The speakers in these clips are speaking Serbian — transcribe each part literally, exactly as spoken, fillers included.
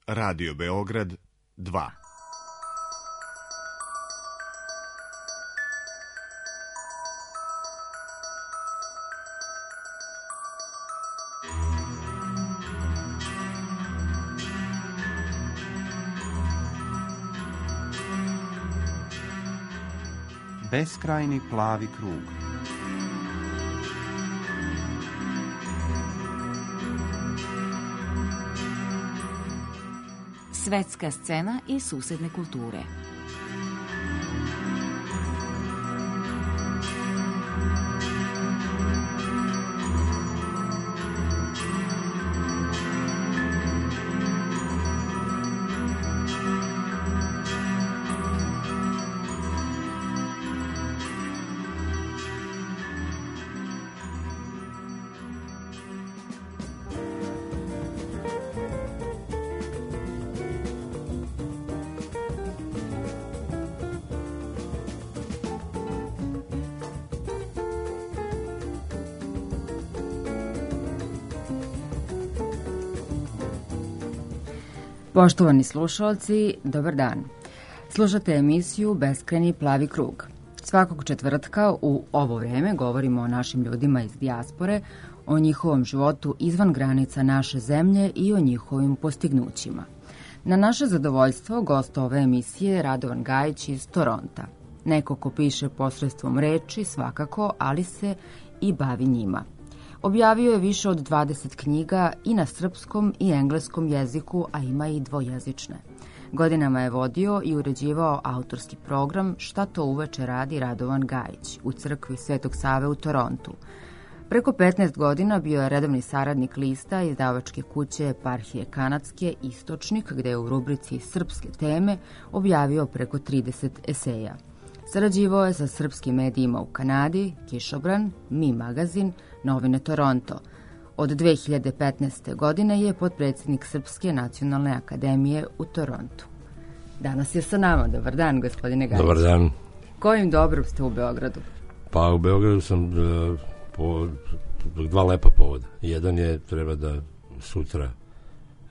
Radio Beograd dva. Beskrajni plavi krug. Svetska scena i susedne kulture. Poštovani slušalci, dobar dan. Slušate emisiju Beskrajni plavi krug. Svakog četvrtka u ovo vreme govorimo o našim ljudima iz dijaspore, o njihovom životu izvan granica naše zemlje i o njihovim postignućima. Na naše zadovoljstvo gost ove emisije je Radovan Gajić iz Toronta. Neko ko piše posredstvom reči svakako, ali se i bavi njima. Objavio je više od dvadeset knjiga i na srpskom i engleskom jeziku, a ima i dvojezične. Godinama je vodio i uređivao autorski program Šta to uveče radi Radovan Gajić u crkvi Svetog Save u Torontu. Preko petnaest godina bio je redovni saradnik lista izdavačke kuće Eparhije Kanadske Istočnik, gde je u rubrici Srpske teme objavio preko trideset eseja. Sarađivao je sa srpskim medijima u Kanadi, Kišobran, Mi magazin, Novine Toronto. Od dve hiljade petnaeste. godine je potpredsjednik Srpske nacionalne akademije u Torontu. Danas je sa nama. Dobar dan, gospodine Gajić. Dobar dan. Kojim dobrom ste u Beogradu? Pa u Beogradu sam uh, po dva lepa povoda. Jedan je, treba da sutra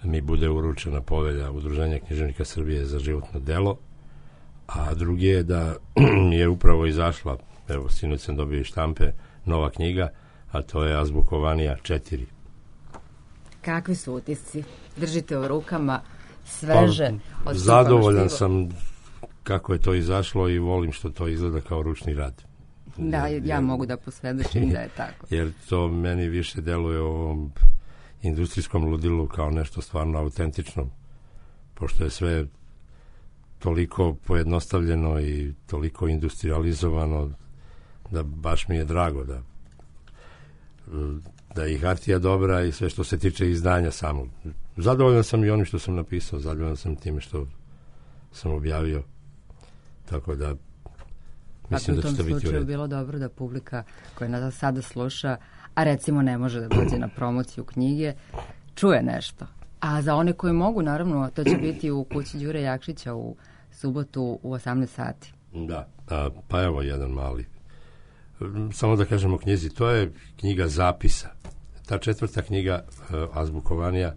mi bude uručena povelja Udruženja književnika Srbije za životno delo, a drugi je da je upravo izašla, evo sinoć sam dobio i štampe, nova knjiga, a to je Azbukovanija četiri. Kakvi su utisci? Držite u rukama sveže? Pa, od zadovoljan sam kako je to izašlo i volim što to izgleda kao ručni rad. Da, ja, ja mogu da posvedočim da je tako. Jer to meni više deluje u ovom industrijskom ludilu kao nešto stvarno autentično, pošto je sve toliko pojednostavljeno i toliko industrializovano da baš mi je drago da da je i hartija dobra i sve što se tiče izdanja samog. Zadovoljan sam i onim što sam napisao, zadovoljan sam time što sam objavio, tako da mislim da će to biti u redu. U tom slučaju bilo dobro da publika koja nas sada sluša, a recimo ne može da dođe na promociju knjige, čuje nešto. A za one koji mogu, naravno, to će biti u kući Đure Jakšića u subotu u osamnaest sati. Da, a, pa evo jedan mali. Samo da kažemo o knjizi, to je knjiga zapisa. Ta četvrta knjiga, Azbukovanija,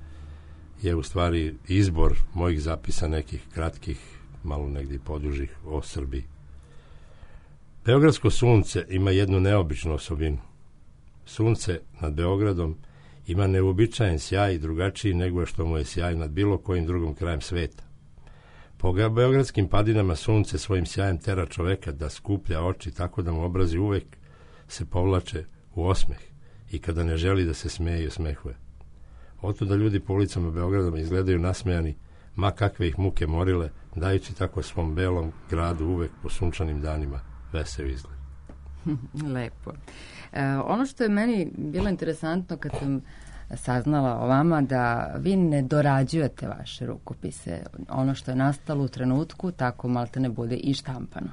je u stvari izbor mojih zapisa, nekih kratkih, malo negdje podužih o Srbiji. Beogradsko sunce ima jednu neobičnu osobinu. Sunce nad Beogradom ima neuobičajen sjaj i drugačiji nego što mu je sjaj nad bilo kojim drugim krajem sveta. Po beogradskim padinama sunce svojim sjajem tera čoveka da skuplja oči tako da mu obrazi uvek se povlače u osmeh i kada ne želi da se smeje i osmehuje. Oto da ljudi po ulicama Beograda izgledaju nasmejani, ma kakve ih muke morile, dajući tako svom belom gradu uvek po sunčanim danima veseo izgled. Lepo. E, ono što je meni bilo interesantno kad sam saznala o vama, da vi ne dorađujete vaše rukopise. Ono što je nastalo u trenutku, tako malte ne bude i štampano.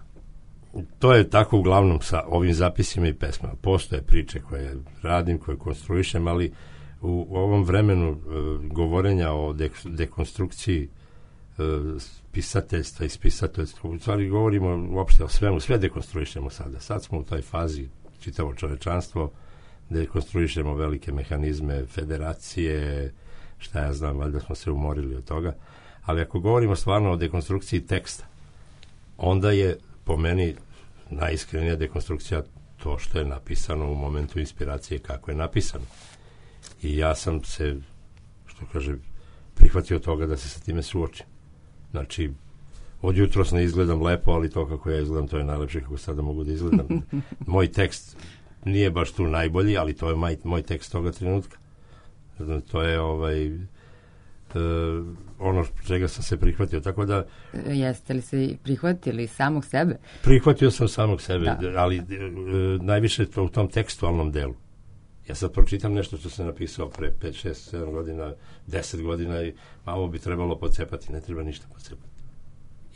To je tako uglavnom sa ovim zapisima i pesmama. Postoje priče koje radim, koje konstruišem, ali u, u ovom vremenu e, govorenja o de, dekonstrukciji e, pisateljstva i spisateljstva, u stvari govorimo uopšte o svemu, sve dekonstruišemo sada. Sad smo u toj fazi, čitavo čovečanstvo, dekonstruišemo velike mehanizme, federacije, šta ja znam, valjda smo se umorili od toga, ali ako govorimo stvarno o dekonstrukciji teksta, onda je po meni najiskrenija dekonstrukcija to što je napisano u momentu inspiracije, kako je napisano. I ja sam se, što kaže, prihvatio toga da se sa time suočim. Znači, od jutros ne izgledam lepo, ali to kako ja izgledam, to je najlepše kako sada mogu da izgledam. Moj tekst nije baš tu najbolji, ali to je moj, moj tekst toga trenutka. To je ovaj uh, ono čega sam se prihvatio. Tako da... Jeste li se prihvatili samog sebe? Prihvatio sam samog sebe, da. ali uh, najviše to u tom tekstualnom delu. Ja sad pročitam nešto što sam napisao pre pet, šest, sedam godina, deset godina i malo bi trebalo pocepati, ne treba ništa pocepati.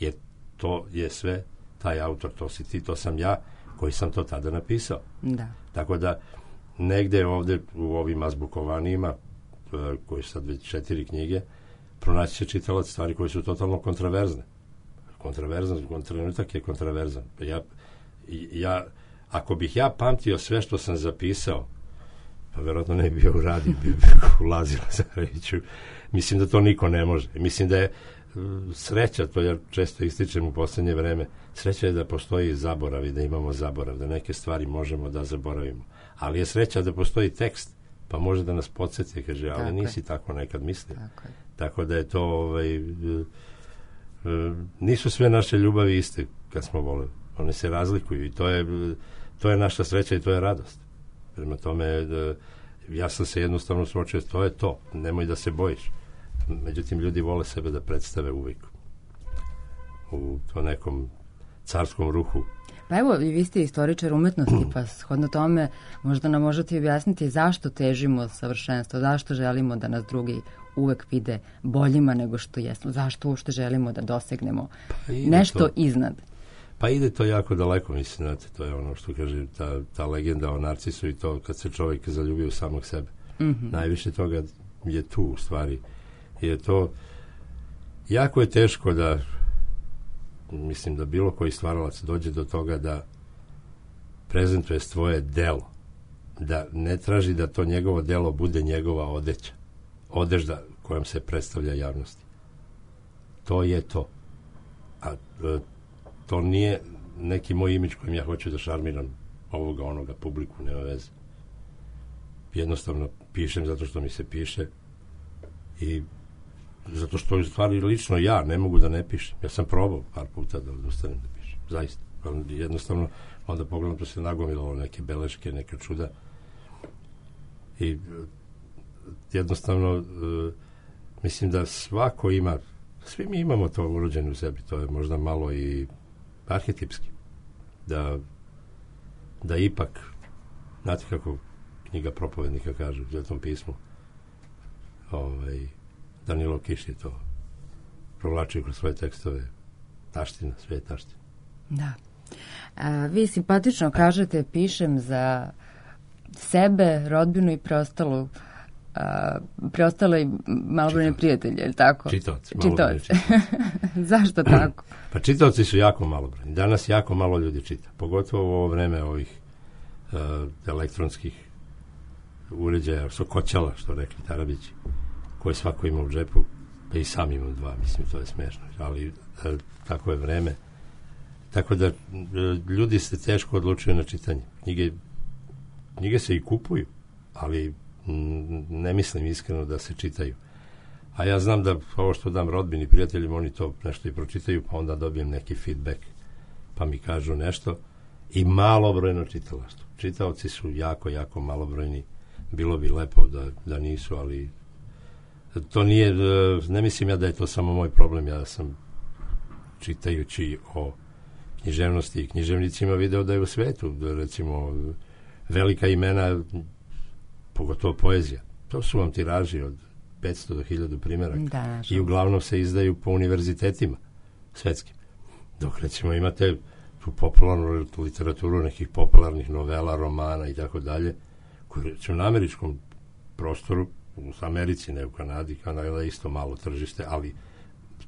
Jer to je sve, taj autor, to si ti, to sam ja, koji sam to tada napisao. Da. Tako da, negde ovde u ovim azbukovanijima, koji su sad već četiri knjige, pronaći će čitalac stvari koje su totalno kontraverzne. Kontraverzan, trenutak je kontraverzan. Ja, ja, ako bih ja pamtio sve što sam zapisao, pa verovatno ne bi bio u radiju, bi ulazila za reću. Mislim da to niko ne može. Mislim da je sreća, to ja često ističem u poslednje vreme, sreća je da postoji zaborav i da imamo zaborav, da neke stvari možemo da zaboravimo. Ali je sreća da postoji tekst, pa može da nas podsjeti, kaže, ali tako nisi je. Tako nekad mislio. Tako, tako da je to, ovaj, nisu sve naše ljubavi iste kad smo voleli. One se razlikuju i to je, to je naša sreća i to je radost. Prema tome, ja sam se jednostavno suočio, to je to, nemoj da se bojiš. Međutim, ljudi vole sebe da predstave uvijek u to nekom carskom ruhu. Pa evo, vi ste istoričar umetnosti, pa shodno tome možda nam možete objasniti zašto težimo savršenstvo, zašto želimo da nas drugi uvek vide boljima nego što jesmo, zašto uopšte želimo da dosegnemo pa nešto to, iznad. Pa ide to jako daleko, mislim, znate, to je ono što kaže ta, ta legenda o Narcisu i to kad se čovjek zaljubi u samog sebe. Mm-hmm. Najviše toga je tu u stvari. Je to jako je teško da mislim da bilo koji stvaralac dođe do toga da prezentuje svoje delo, da ne traži da to njegovo delo bude njegova odeća, odežda kojom se predstavlja javnosti. To je to. A to nije neki moj imidž kojim ja hoću da šarmiram ovoga, onoga, publiku, nema veze. Jednostavno pišem zato što mi se piše i zato što je stvari lično ja ne mogu da ne pišem. Ja sam probao par puta da odustanem da pišem. Zaista. Jednostavno, onda pogledam, to se nagomilalo neke beleške, neka čuda. I jednostavno uh, mislim da svako ima, svi mi imamo to urođeno u sebi, to je možda malo i arhetipski. Da, da ipak, znate kako knjiga propovednika kaže u Svetom pismu, ovaj, Danilo Kiš je to provlačio kroz svoje tekstove, taština, sve je taština. Da. A, vi simpatično kažete, pišem za sebe, rodbinu i preostalu a, preostale malobrojne prijatelje, je li tako? Čitaoci. Čitaoci. Zašto tako? Pa čitaoci su jako malobrojni. Danas jako malo ljudi čita. Pogotovo u ovo vreme ovih uh, elektronskih uređaja, sokoćala, što rekli Tarabići, koje svako ima u džepu, pa i sam imam dva, mislim, to je smešno, ali e, tako je vreme. Tako da e, ljudi se teško odlučuju na čitanje. Knjige, knjige se i kupuju, ali m, ne mislim iskreno da se čitaju. A ja znam da ovo što dam rodbini, prijateljima, oni to nešto i pročitaju, pa onda dobijem neki feedback, pa mi kažu nešto. I malobrojno čitalaštvo. Čitaoci su jako, jako malobrojni. Bilo bi lepo da, da nisu, ali to nije, ne mislim ja da je to samo moj problem. Ja sam čitajući o književnosti i književnicima video da je u svetu, da recimo velika imena, pogotovo poezija, to su vam tiraži od petsto do hiljadu primjeraka da, i uglavnom se izdaju po univerzitetima svetskim. Dok recimo imate tu popularnu literaturu nekih popularnih novela, romana i tako dalje, koji su na američkom prostoru, u Americi, ne u Kanadi, Kanada je isto malo tržište, ali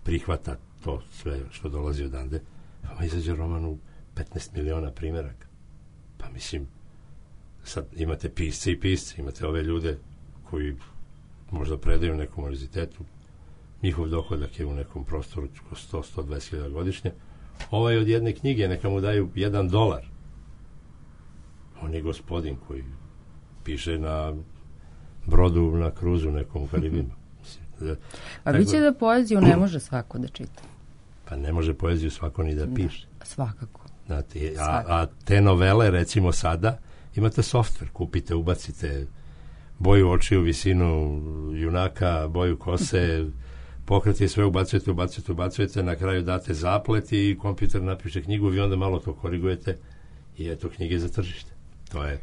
prihvata to sve što dolazi odande, pa izađe roman u petnaest miliona primjeraka. Pa mislim, sad imate pisce i pisce, imate ove ljude koji možda predaju u nekom univerzitetu, njihov dohodak je u nekom prostoru sto do sto dvadeset hiljada godišnje. Ovaj od jedne knjige neka mu daju jedan dolar. On je gospodin koji piše na brodu, na kruzu nekom u Karibima. A bit će da poeziju ne može svako da čita. Pa ne može poeziju svako ni da piše. Da, svakako. Znate, a, a te novele, recimo sada, imate softver, kupite, ubacite boju očiju, visinu junaka, boju kose, pokreti sve ubacujete, ubacujete, ubacujete, na kraju date zaplet i kompjuter napiše knjigu, vi onda malo to korigujete i eto knjige za tržište. To je...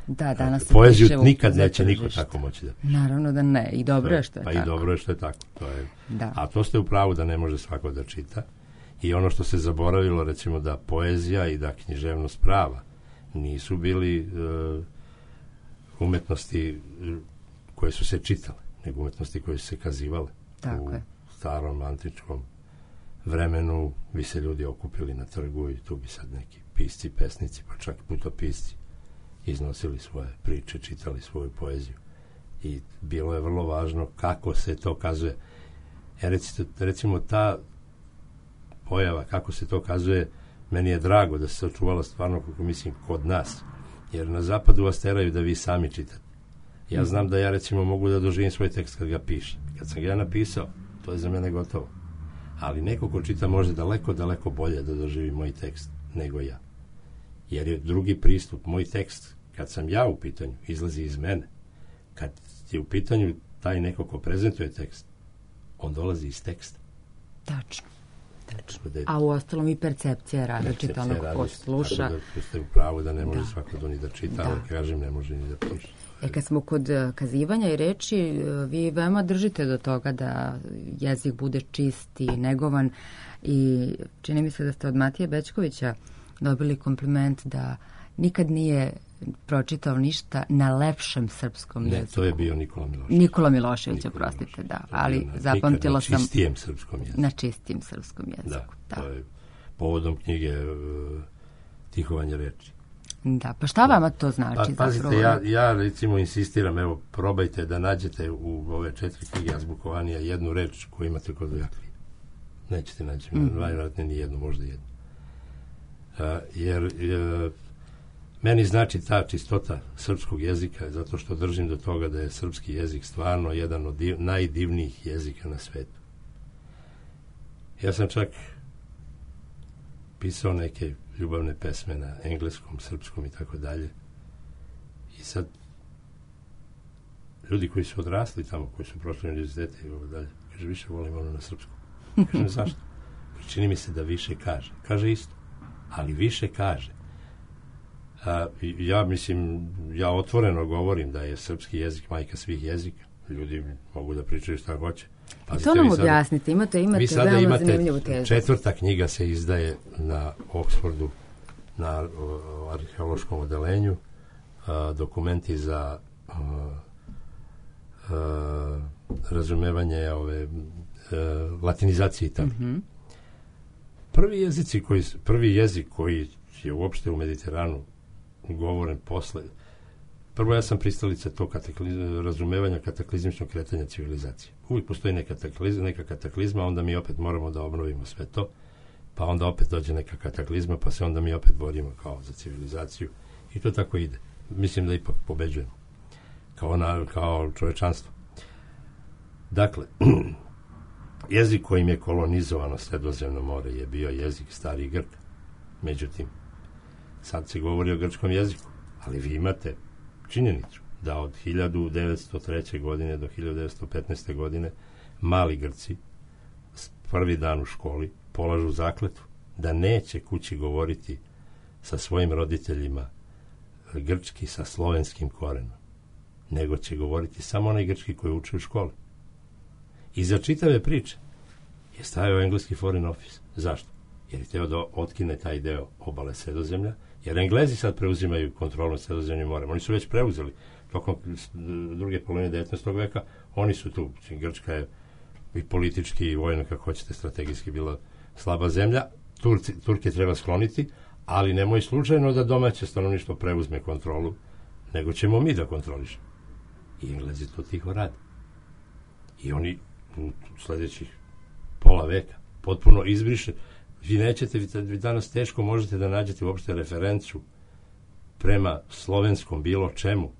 Da, danas poeziju nikad neće niko tako moći da piše. Naravno da ne, i dobro je što je pa tako. Pa i dobro je što je tako. To je, da. A to ste u pravu da ne može svako da čita. I ono što se zaboravilo, recimo da poezija i da književnost prava nisu bili uh, umetnosti koje su se čitale, nego umetnosti koje su se kazivale. Tako u je. starom antičkom vremenu bi se ljudi okupili na trgu i tu bi sad neki pisci, pesnici, pa čak putopisci iznosili svoje priče, čitali svoju poeziju. I bilo je vrlo važno kako se to kazuje. E, recimo, recimo ta pojava, kako se to kazuje, meni je drago da se očuvala stvarno, kako mislim, kod nas. Jer na zapadu vas teraju da vi sami čitate. Ja znam da ja, recimo, mogu da doživim svoj tekst kad ga pišem. Kad sam ga ja napisao, to je za mene gotovo. Ali neko ko čita može daleko, daleko bolje da doživi moj tekst nego ja. Jer je drugi pristup, moj tekst, kad sam ja u pitanju, izlazi iz mene. Kad je u pitanju taj neko ko prezentuje tekst, on dolazi iz teksta. Tačno. Tačno. Da je, a u ostalom i percepcija je različita, onog ko sluša. Da ste u pravu da ne može da. svako to ni da čita, da. ali kažem ne može ni da piše. E, kad smo kod kazivanja i reči, vi veoma držite do toga da jezik bude čist i negovan i čini mi se da ste od Matije Bećkovića dobili kompliment da nikad nije pročitao ništa na lepšem srpskom ne, jeziku. To je bio Nikola Milošević. Nikola Milošević, oprostite, da. Ali na, zapamtila sam... Na čistijem srpskom jeziku. Na čistijem srpskom jeziku, da. da. To je povodom knjige uh, Tihovanje reči. Da, pa šta vama to znači? Pa, pazite, zapravo? ja, ja recimo insistiram, evo, probajte da nađete u ove četiri knjige Azbukovanija jednu reč koju imate kod Jaklija. Nećete naći, mm. najvjerojatnije ni jednu, možda jednu. Uh, jer uh, meni znači ta čistota srpskog jezika, zato što držim do toga da je srpski jezik stvarno jedan od div, najdivnijih jezika na svetu. Ja sam čak pisao neke ljubavne pesme na engleskom, srpskom i tako dalje. I sad ljudi koji su odrasli tamo, koji su prošli univerzitete i tako dalje, kaže, više volim ono na srpskom. Kažem, zašto? Čini mi se da više kaže. Kaže isto, ali više kaže. A, ja mislim, ja otvoreno govorim da je srpski jezik majka svih jezika. Ljudi mogu da pričaju šta hoće. Pazite, to nam objasnite, imate, imate vi sada veoma imate zanimljivu tezu. Četvrta knjiga se izdaje na Oxfordu, na o, arheološkom odelenju, a, dokumenti za a, a, razumevanje ove a, latinizacije i tako. Mm-hmm. Prvi jezici koji, prvi jezik koji je uopšte u Mediteranu govoren posle, prvo ja sam pristalica tog kataklizma, razumevanja kataklizmičnog kretanja civilizacije. Uvijek postoji neka kataklizma, neka kataklizma, onda mi opet moramo da obnovimo sve to, pa onda opet dođe neka kataklizma, pa se onda mi opet borimo kao za civilizaciju i to tako ide. Mislim da ipak pobeđujemo kao, na, kao čovečanstvo. Dakle, jezik kojim je kolonizovano Sredozemno more je bio jezik starih Grka. Međutim, sad se govori o grčkom jeziku, ali vi imate činjenicu da od hiljadu devetsto treće. godine do hiljadu devetsto petnaeste. godine mali Grci prvi dan u školi polažu zakletvu da neće kući govoriti sa svojim roditeljima grčki sa slovenskim korenom, nego će govoriti samo onaj grčki koji uče u školi. I za čitave priče je stavio engleski Foreign Office. Zašto? Jer je hteo da otkine taj deo obale Sredozemlja, jer Englezi sad preuzimaju kontrolu nad Sredozemnim morem. Oni su već preuzeli tokom druge polovine devetnaestog veka. Oni su tu. Grčka je i politički i vojno, kako hoćete, strategijski bila slaba zemlja. Turci, Turke treba skloniti, ali nemoj slučajno da domaće stanovništvo preuzme kontrolu, nego ćemo mi da kontrolišemo. I Englezi to tiho rade. I oni u sledećih pola veka potpuno izbriše. Vi nećete, vi danas teško možete da nađete uopšte referencu prema slovenskom bilo čemu,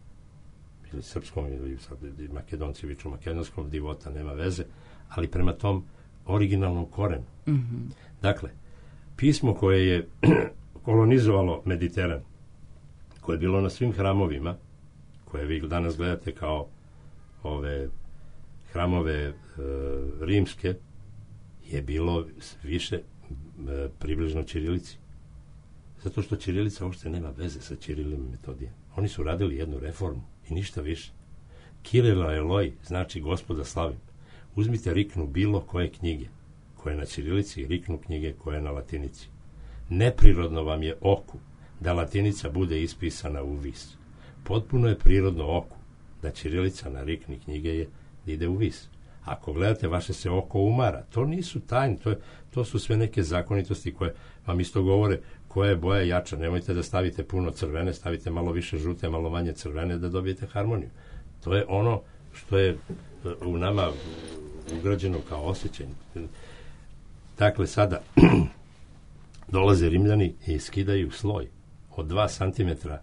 ili srpskom, ili sad makedonci viču makedonskom, divota, nema veze, ali prema tom originalnom korenu. Mm-hmm. Dakle, pismo koje je kolonizovalo Mediteran, koje je bilo na svim hramovima, koje vi danas gledate kao ove hramove e, rimske, je bilo više e, približno ćirilici. Zato što ćirilica uopšte nema veze sa ćirilim metodijem. Oni su radili jednu reformu i ništa više. Kirila Eloj znači gospoda slavim. Uzmite riknu bilo koje knjige koje je na ćirilici i riknu knjige koje je na latinici. Neprirodno vam je oku da latinica bude ispisana u vis. Potpuno je prirodno oku da ćirilica na rikni knjige je da ide u vis. Ako gledate, vaše se oko umara. To nisu tajne, to, je, to su sve neke zakonitosti koje vam isto govore koja je boja jača. Nemojte da stavite puno crvene, stavite malo više žute, malo manje crvene da dobijete harmoniju. To je ono što je u nama ugrađeno kao osjećanje. Dakle, sada dolaze Rimljani i skidaju sloj od dva santimetra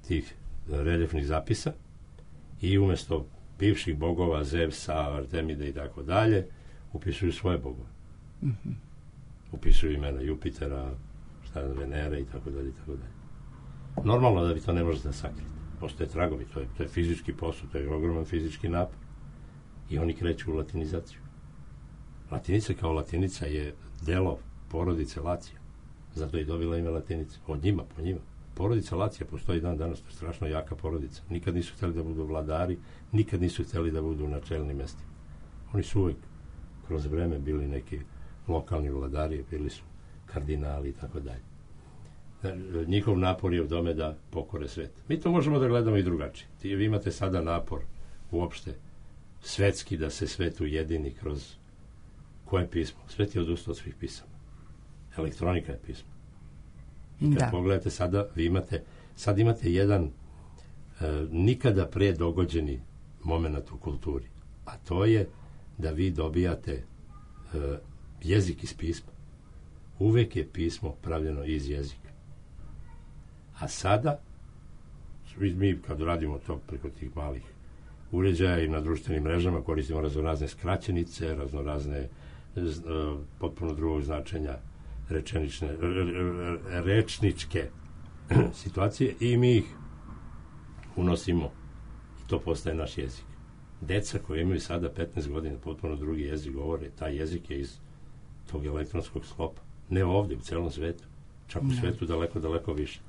tih reljefnih zapisa i umjesto bivših bogova, Zevsa, Artemide i tako dalje, upisuju svoje bogove. Mm-hmm. Upisuju imena Jupitera, šta je Venere i tako dalje i tako dalje. Normalno da vi to ne možete da sakriti. Postoje tragovi, to je, to je fizički posao, to je ogroman fizički napor. I oni kreću u latinizaciju. Latinica kao latinica je delo porodice Lacija. Zato je dobila ime Latinica. Od njima, po njima. Porodica Lacija postoji dan danas, to je strašno jaka porodica. Nikad nisu htjeli da budu vladari, nikad nisu htjeli da budu na čelnim mestima. Oni su uvijek kroz vreme bili neki lokalni vladari, bili su kardinali i tako dalje. Njihov napor je u tome da pokore svet. Mi to možemo da gledamo i drugačije. Vi imate sada napor uopšte svetski da se svet ujedini kroz koje pismo? Svet je odustao od svih pisama. Elektronika je pismo. I kad da. pogledate sada, vi imate, sad imate jedan e, nikada pre dogođeni moment u kulturi. A to je da vi dobijate e, jezik iz pisma. Uvek je pismo pravljeno iz jezika. A sada, mi kad radimo to preko tih malih uređaja i na društvenim mrežama koristimo raznorazne skraćenice, raznorazne potpuno drugog značenja rečenične, rečničke situacije i mi ih unosimo i to postaje naš jezik. Deca koji imaju sada petnaest godina potpuno drugi jezik govore, taj jezik je iz tog elektronskog sklopa. Ne ovdje, u celom svetu. Čak u svetu daleko, daleko više.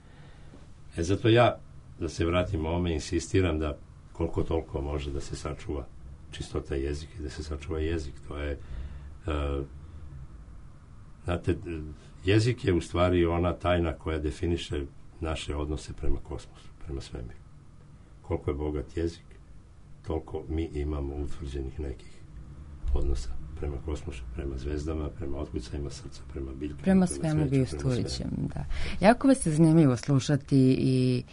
E zato ja, da se vratim ovome, insistiram da koliko toliko može da se sačuva čistota jezika i da se sačuva jezik. To je uh, znate, jezik je u stvari ona tajna koja definiše naše odnose prema kosmosu, prema svemiru. Koliko je bogat jezik, toliko mi imamo utvrđenih nekih odnosa prema kosmosu, prema zvezdama, prema otkucajima srca, prema biljkama, prema svemu biostulićem, da. Jako vas je zanimljivo slušati i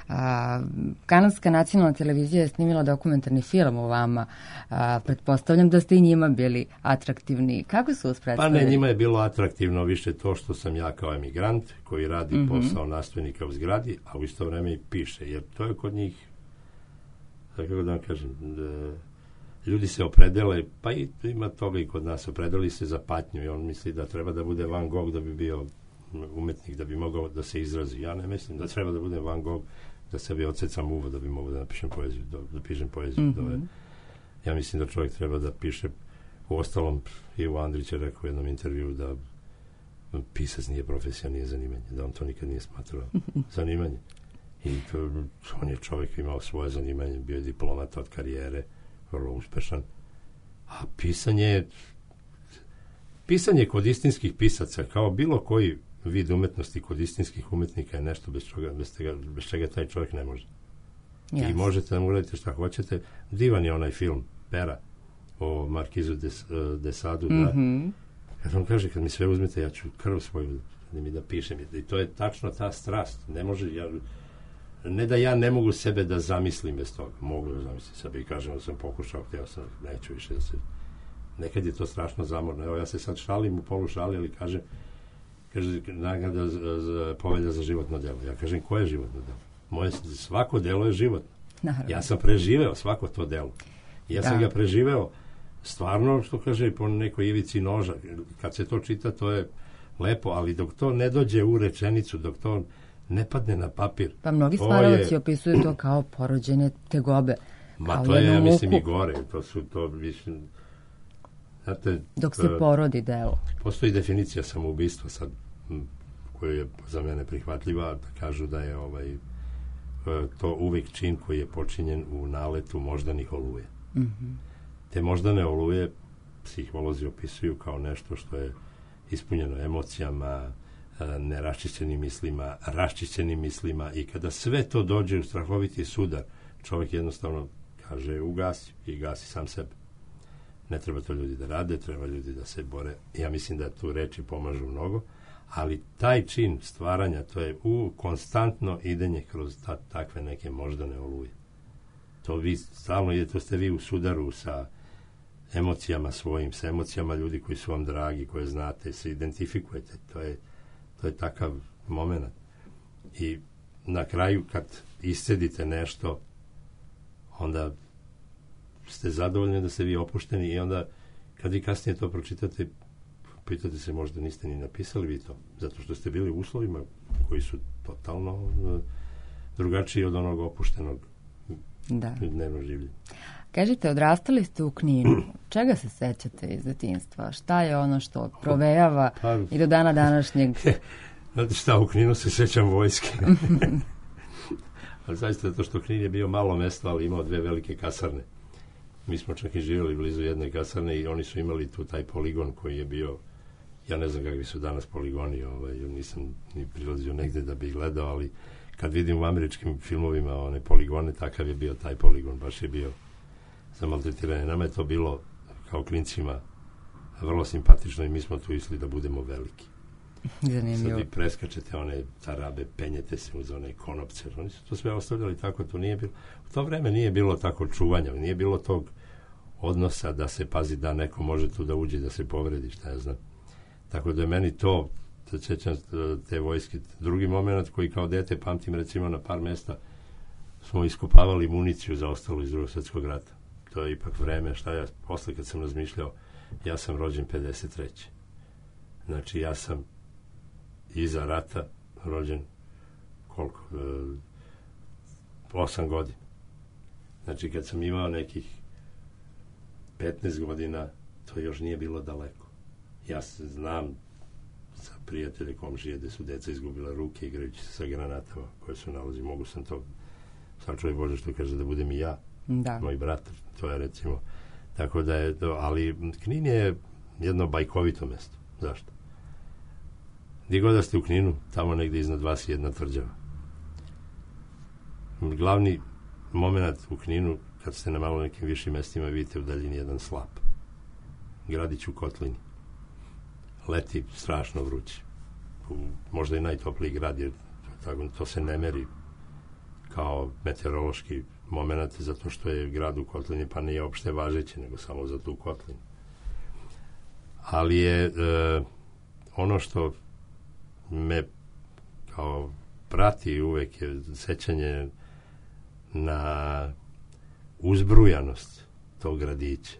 a, kanadska nacionalna televizija je snimila dokumentarni film o vama. A, pretpostavljam da ste i njima bili atraktivni. Kako su vas predstavili? Pa ne, njima je bilo atraktivno više to što sam ja kao emigrant koji radi mm-hmm. posao nastavnika u zgradi, a u isto vreme i piše, jer to je kod njih, kako da vam kažem, da ljudi se opredele, pa i ima toga i kod nas, opredeli se za patnju i on misli da treba da bude Van Gogh da bi bio umetnik, da bi mogao da se izrazi. Ja ne mislim da treba da bude Van Gogh da sebi odsecam uvo da bi mogao da napišem poeziju, da, da pišem poeziju. Mm-hmm. Je, ja mislim da čovjek treba da piše, u ostalom Ivo Andrić je rekao u jednom intervju da pisac nije profesija, nije zanimanje, da on to nikad nije smatrao zanimanje. I to, on je čovjek imao svoje zanimanje, bio je diplomata od karijere, vrlo uspešan. A pisanje pisanje kod istinskih pisaca, kao bilo koji vid umetnosti kod istinskih umetnika je nešto bez čega, bez tega, bez čega taj čovjek ne može. Yes. I možete da mu uradite šta hoćete. Divan je onaj film Pera o Markizu de, de Sadu. Mm-hmm. Da, kad on kaže, kad mi sve uzmete, ja ću krv svoju da mi da pišem. I to je tačno ta strast. Ne može, ja, ne da ja ne mogu sebe da zamislim bez toga, mogu da zamislim sebe i kažem da sam pokušao, htio sam, neću više da se, nekad je to strašno zamorno, evo ja se sad šalim u polu šali, ali kažem, kaže, nagrada za, za, povelja za životno delo, ja kažem, koje je životno delo? Moje, svako delo je životno. Naravno. Ja sam preživeo svako to delo. Ja da. sam ga preživeo stvarno, što kaže, po nekoj ivici noža. Kad se to čita, to je lepo, ali dok to ne dođe u rečenicu, dok to ne padne na papir. Pa mnogi stvaralaci je... opisuju to kao porođene tegobe. Ma to je, ja mislim, i gore. To su to, mislim, znate, dok se porodi delo. Postoji definicija samoubistva sad, koja je za mene prihvatljiva, da kažu da je ovaj to uvek čin koji je počinjen u naletu moždanih oluje. Mm-hmm. Te moždane oluje psiholozi opisuju kao nešto što je ispunjeno emocijama, neraščišćenim mislima, raščišćenim mislima i kada sve to dođe u strahoviti sudar, čovjek jednostavno kaže ugasi i gasi sam sebe. Ne treba to ljudi da rade, treba ljudi da se bore. Ja mislim da tu reči pomažu mnogo, ali taj čin stvaranja, to je u konstantno idenje kroz ta, takve neke moždane oluje. To vi stalno idete, to ste vi u sudaru sa emocijama svojim, sa emocijama ljudi koji su vam dragi, koje znate, se identifikujete. To je, to je takav moment. I na kraju kad iscedite nešto, onda ste zadovoljni da ste vi opušteni i onda kad vi kasnije to pročitate, pitate se, možda niste ni napisali vi to, zato što ste bili u uslovima koji su totalno uh, drugačiji od onog opuštenog da. dnevnog življenja. Kažite, odrastali ste u Kninu. Čega se sećate iz detinjstva? Šta je ono što provejava pa, i do dana današnjeg? Znate šta, u Kninu se sećam vojske. Ali zaista zato što Knin je bio malo mesto, ali imao dve velike kasarne. Mi smo čak i živjeli blizu jedne kasarne i oni su imali tu taj poligon koji je bio, ja ne znam kakvi su danas poligoni, ovaj, nisam ni prilazio negde da bi gledao, ali kad vidim u američkim filmovima one poligone, takav je bio taj poligon, baš je bio za maltretiranje. Nama je to bilo kao klincima vrlo simpatično i mi smo tu išli da budemo veliki. Zanimljivo. Sad vi preskačete one tarabe, penjete se uz one konopce, oni su to sve ostavljali tako, to nije bilo. U to vreme nije bilo tako čuvanja, nije bilo tog odnosa da se pazi da neko može tu da uđe, da se povredi, šta ja znam. Tako da je meni to, da sećam te vojske, drugi moment koji kao dete pamtim, recimo na par mesta smo iskopavali municiju za ostalo iz Drugog svjetskog rata. To je ipak vreme, šta ja, posle kad sam razmišljao, ja sam rođen pedeset treće. Znači ja sam iza rata rođen koliko? E, osam godina. Znači kad sam imao nekih petnaest godina, to još nije bilo daleko. Ja se znam sa prijatelje, komšije, gde su deca izgubila ruke igrajući se sa granatama koje su nalazi. Mogu sam to, sam čovjek Bože što kaže da budem i ja, da. Moj brat, to je recimo. Tako da je to, ali Knin je jedno bajkovito mesto. Zašto? Gdje god da ste u Kninu, tamo negdje iznad vas je jedna tvrđava. Glavni moment u Kninu, kad ste na malo nekim višim mestima, vidite u daljini jedan slap. Gradić u kotlini. Leti strašno vruće. U, možda i najtopliji grad, jer tako, to se ne meri kao meteorološki moment, zato što je grad u kotlini, pa nije opšte važeće, nego samo za tu kotlinu. Ali je e, ono što me kao prati uvek je sećanje na uzbrujanost tog gradića.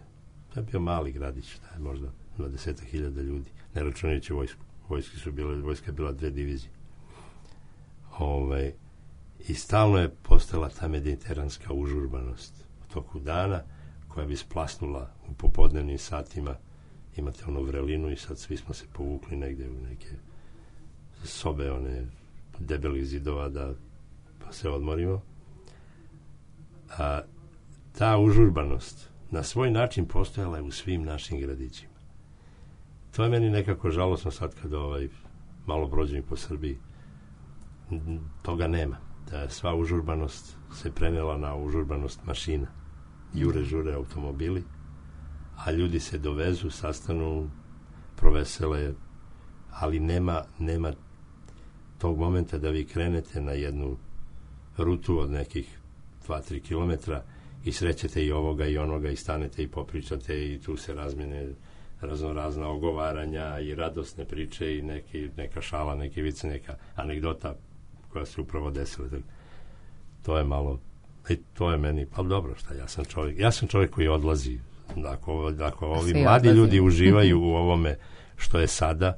To je bio mali gradić, da je možda dvadeset hiljada ljudi, ne računajući vojsku. Vojske su bile, vojska je bila dve divizije. Ovaj, i stalno je postala ta mediteranska užurbanost u toku dana koja bi splasnula u popodnevnim satima. Imate onu vrelinu i sad svi smo se povukli negde u neke sobe, one debelih zidova da pa se odmorimo. A ta užurbanost na svoj način postojala je u svim našim gradićima. To je meni nekako žalosno sad kad ovaj, malo prođem po Srbiji. Toga nema. Da sva užurbanost se prenela na užurbanost mašina. Jure, žure automobili, a ljudi se dovezu, sastanu, provesele, ali nema, nema tog momenta da vi krenete na jednu rutu od nekih dva tri kilometra i srećete i ovoga i onoga i stanete i popričate i tu se razmene razno razna ogovaranja i radosne priče i neki, neka šala, neki vice, neka anegdota koja se upravo desila. To je malo, i to je meni, pa dobro, šta, ja sam čovjek, ja sam čovjek koji odlazi. Ako, ako ovi Svi mladi odlazi. ljudi uživaju u ovome što je sada,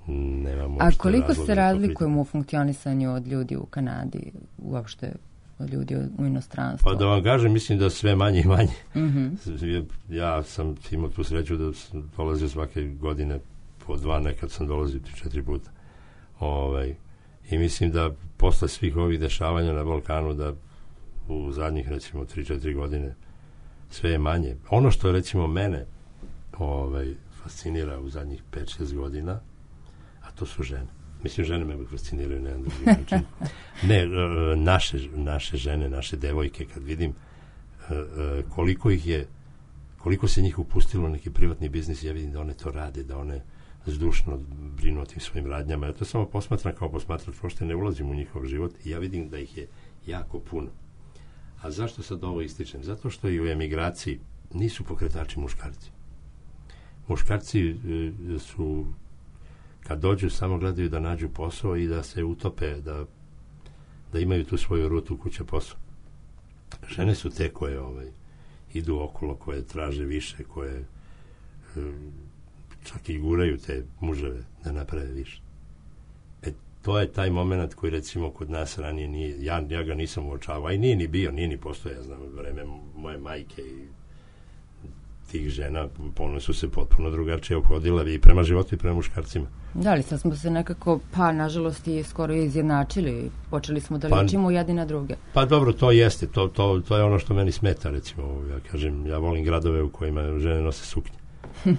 nemamo A uopšte koliko razloga se da razlikujemo u funkcionisanju od ljudi u Kanadi, uopšte od ljudi u inostranstvu? Pa da vam kažem, mislim da sve manje i manje. Mhm. Ja sam imao tu sreću da sam dolazio svake godine po dva, nekad sam dolazio tri, četiri puta. Ovaj, I mislim da posle svih ovih dešavanja na Balkanu, da u zadnjih recimo tri, četiri godine sve je manje. Ono što recimo mene ovaj, fascinira u zadnjih pet, šest godina, a to su žene. Mislim, žene me fasciniraju na jedan drugi način. Ne, e, naše, naše žene, naše devojke, kad vidim e, e, koliko ih je, koliko se njih upustilo u neki privatni biznis, ja vidim da one to rade, da one zdušno brinu o tim svojim radnjama. Ja to samo posmatram kao posmatrač, pošto ne ulazim u njihov život i ja vidim da ih je jako puno. A zašto sad ovo ističem? Zato što i u emigraciji nisu pokretači muškarci. Muškarci e, su, kad dođu, samo gledaju da nađu posao i da se utope, da, da imaju tu svoju rutu kuće posao. Žene su te koje ovaj, idu okolo, koje traže više, koje e, čak i guraju te muževe da naprave više. E, to je taj moment koji recimo kod nas ranije nije, ja, ja ga nisam uočavao, a i nije ni bio, nije ni postoje, ja znam, vreme moje majke i tih žena, one su se potpuno drugačije ophodile i prema životu i prema muškarcima. Da, ali sad smo se nekako, pa nažalost i skoro izjednačili, počeli smo da Pa- ličimo jedni na druge. Pa dobro, to jeste, to, to, to je ono što meni smeta, recimo, ja kažem, ja volim gradove u kojima žene nose suknje.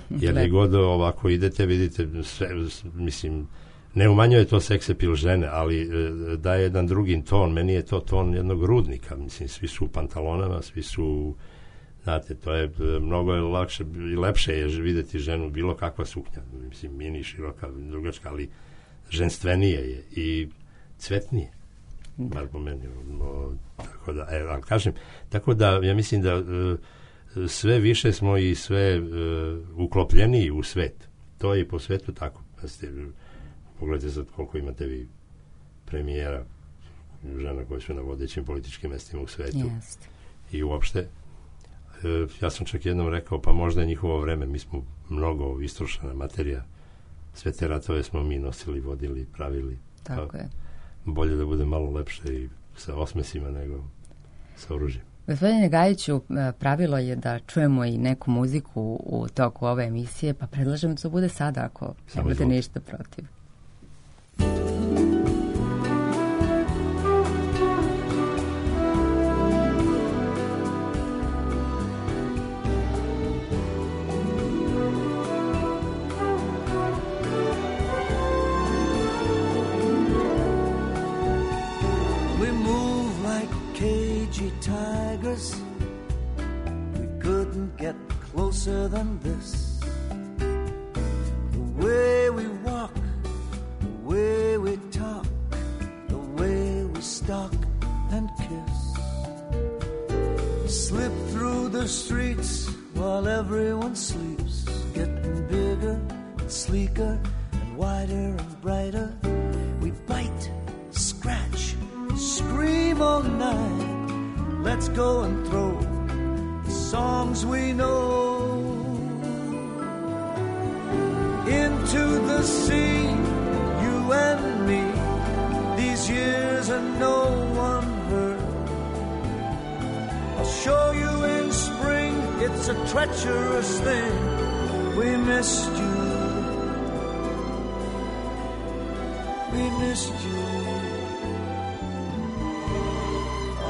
Jer gdje god ovako idete, vidite, sve, mislim, ne umanjuje to seks appeal žene, ali e, daje jedan drugi ton, meni je to ton jednog rudnika, mislim, svi su u pantalonama, svi su, znate, to je e, mnogo je lakše i lepše je vidjeti ženu, bilo kakva suknja, mislim, mini, široka, drugačka, ali ženstvenije je i cvetnije, bar po meni, o, tako da, e, ali kažem, tako da, ja mislim da e, sve više smo i sve uh, uklopljeniji u svet. To je i po svetu tako. Ste, pogledajte sad koliko imate vi premijera, žena koje su na vodećim političkim mestima u svetu. Jeste. I uopšte, uh, ja sam čak jednom rekao, pa možda je njihovo vreme, mi smo mnogo istrošena materija. Sve te ratove smo mi nosili, vodili, pravili. Tako pa, je. bolje da bude malo lepše i sa osmesima nego sa oružjem. Gospodine Gajiću, pravilo je da čujemo i neku muziku u toku ove emisije, pa predlažem da to bude sada, ako Samo nemate izvolite. ništa protiv. We move like cagey tigers. We couldn't get closer than this. The way we walk, the way we talk, the way we stalk and kiss. Slip through the streets while everyone sleeps, getting bigger and sleeker and wider and brighter. We bite, scratch, scream all night. Let's go and throw the songs we know into the sea, you and me. These years are no one heard. I'll show you in spring, it's a treacherous thing. We missed you, we missed you.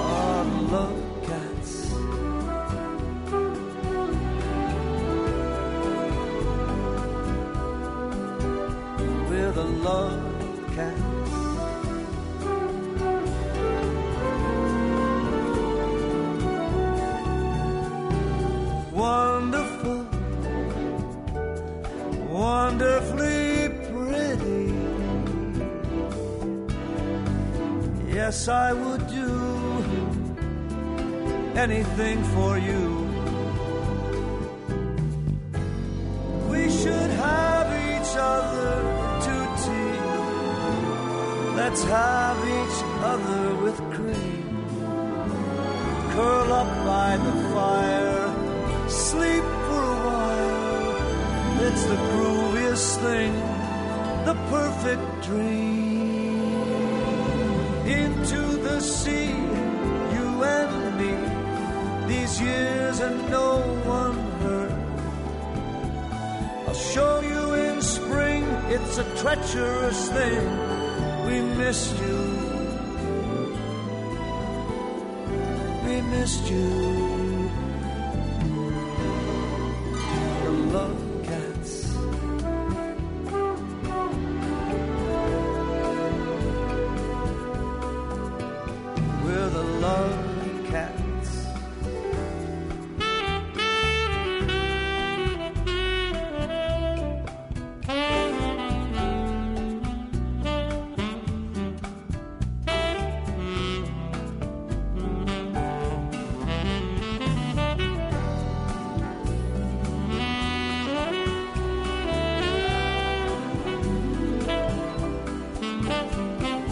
Our love cats. We're the love cats. Wonderful, wonderfully pretty. Yes, I would do anything for you. We should have each other to tea. Let's have each other with cream. Curl up by the fire, sleep for a while. It's the grooviest thing, the perfect dream. Into the sea, you and me, these years and no one hurt. I'll show you in spring, it's a treacherous thing. We miss you, we missed you. The love cats. We're the love cats.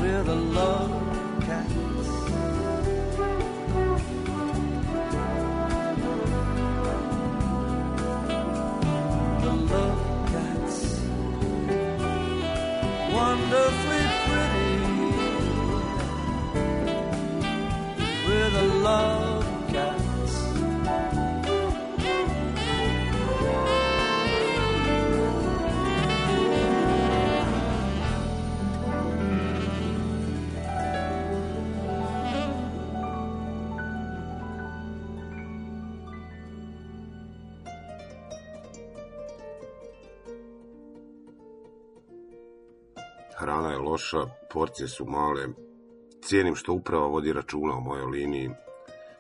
We're the love cats. The love cats. Wonderfully pretty. We're the love cats. Hrana je loša, porcije su male. Cijenim što uprava vodi računa o mojoj liniji.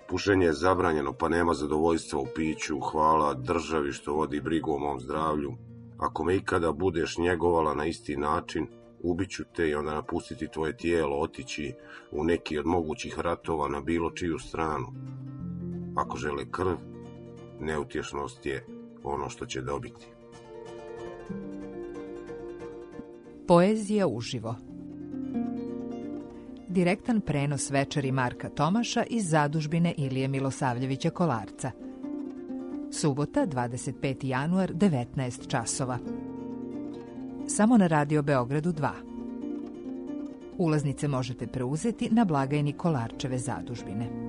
Pušenje je zabranjeno, pa nema zadovoljstva u piću. Hvala državi što vodi brigu o mom zdravlju. Ako me ikada budeš njegovala na isti način, ubiću te i onda napustiti tvoje tijelo, otići u neki od mogućih ratova na bilo čiju stranu. Ako žele krv, neutješnost je ono što će dobiti. Poezija uživo. Direktan prenos večeri Marka Tomaša iz zadužbine Ilije Milosavljevića Kolarca. Subota, dvadeset peti januar, devetnaest časova. Samo na Radio Beogradu dva. Ulaznice možete preuzeti na blagajni Kolarčeve zadužbine.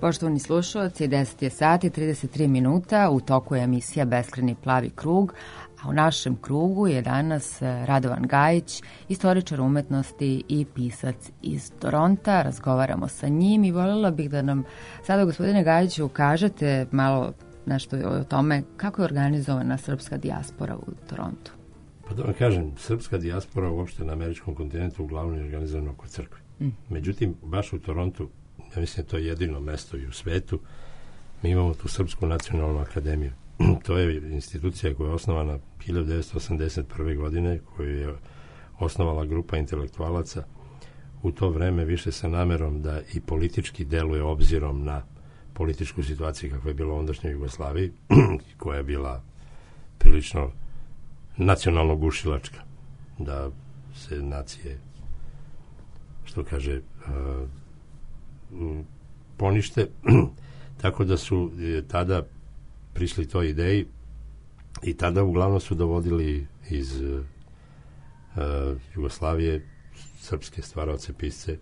Poštovani slušalci, deset je sati, trideset tri minuta, u toku je emisija Beskrajni plavi krug, a u našem krugu je danas Radovan Gajić, istoričar umetnosti i pisac iz Toronta. Razgovaramo sa njim i voljela bih da nam sada, gospodine Gajiću, kažete malo nešto o tome kako je organizovana srpska dijaspora u Torontu. Pa da vam kažem, srpska dijaspora uopšte na američkom kontinentu uglavnom je organizovana oko crkve. Mm. Međutim, baš u Torontu, ja mislim da to je jedino mesto i u svetu, mi imamo tu Srpsku nacionalnu akademiju. To je institucija koja je osnovana hiljadu devetsto osamdeset prve. godine, koju je osnovala grupa intelektualaca u to vreme više sa namerom da i politički deluje obzirom na političku situaciju kakva je bila u ondašnjoj Jugoslaviji, koja je bila prilično nacionalno gušilačka, da se nacije, što kaže, uh, ponište. Tako da su tada prišli toj ideji i tada uglavnom su dovodili iz uh, Jugoslavije srpske stvaraoce, pisce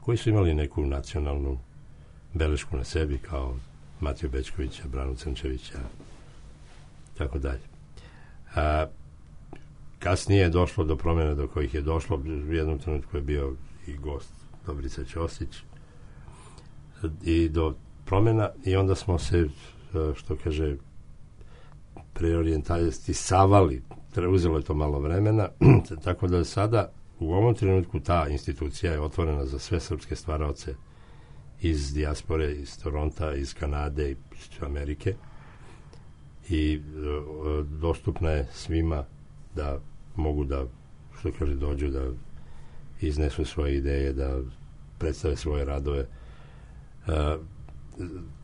koji su imali neku nacionalnu belešku na sebi, kao Matiju Bećkovića, Branu Crnčevića, tako dalje. A, kasnije je došlo do promjena do kojih je došlo. U jednom trenutku je bio i gost Dobrica Ćosić i do promjena, i onda smo se, što kaže, preorijentisavali. Uzelo je to malo vremena, tako da sada u ovom trenutku ta institucija je otvorena za sve srpske stvaraoce iz dijaspore, iz Toronta, iz Kanade i iz Amerike. i uh, dostupna je svima da mogu da, što kaže, dođu da iznesu svoje ideje, da predstave svoje radove. Uh,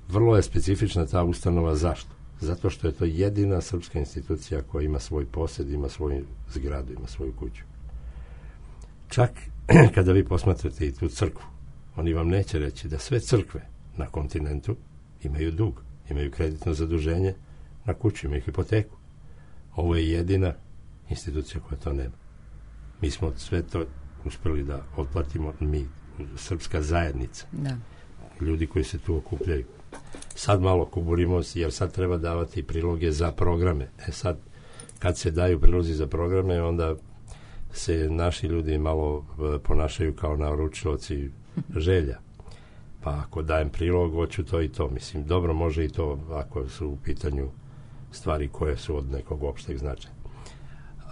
vrlo je specifična ta ustanova. Zašto? Zato što je to jedina srpska institucija koja ima svoj posed, ima svoju zgradu, ima svoju kuću. Čak kada vi posmatrate i tu crkvu, oni vam neće reći da sve crkve na kontinentu imaju dug, imaju kreditno zaduženje na kuću, imaju hipoteku. Ovo je jedina institucija koja to nema. Mi smo sve to uspeli da otplatimo, mi, srpska zajednica. Da. Ljudi koji se tu okupljaju. Sad malo kuburimo, jer sad treba davati priloge za programe. E sad, kad se daju prilozi za programe, onda se naši ljudi malo ponašaju kao naručilaci želja. Pa ako dajem prilog, hoću to i to. Mislim, dobro može i to ako su u pitanju stvari koje su od nekog opšteg značaja.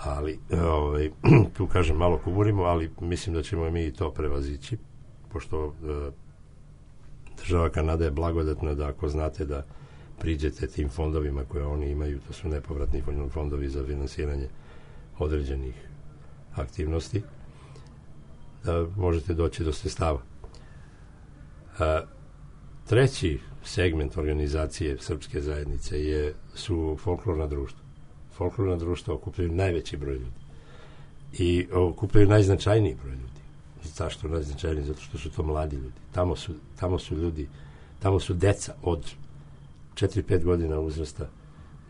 Ali, ovaj, tu kažem, malo kuburimo, ali mislim da ćemo mi i to prevazići, pošto e, država Kanada je blagodatna da ako znate da priđete tim fondovima koje oni imaju, to su nepovratni fondovi za finansiranje određenih aktivnosti, da možete doći do sredstava. A, treći segment organizacije srpske zajednice je, su folklorna društva. Folklorna društva okupljaju najveći broj ljudi i okupljaju najznačajniji broj ljudi. Zašto najznačajniji? Zato što su to mladi ljudi. Tamo su, tamo su ljudi, tamo su deca od četiri pet godina uzrasta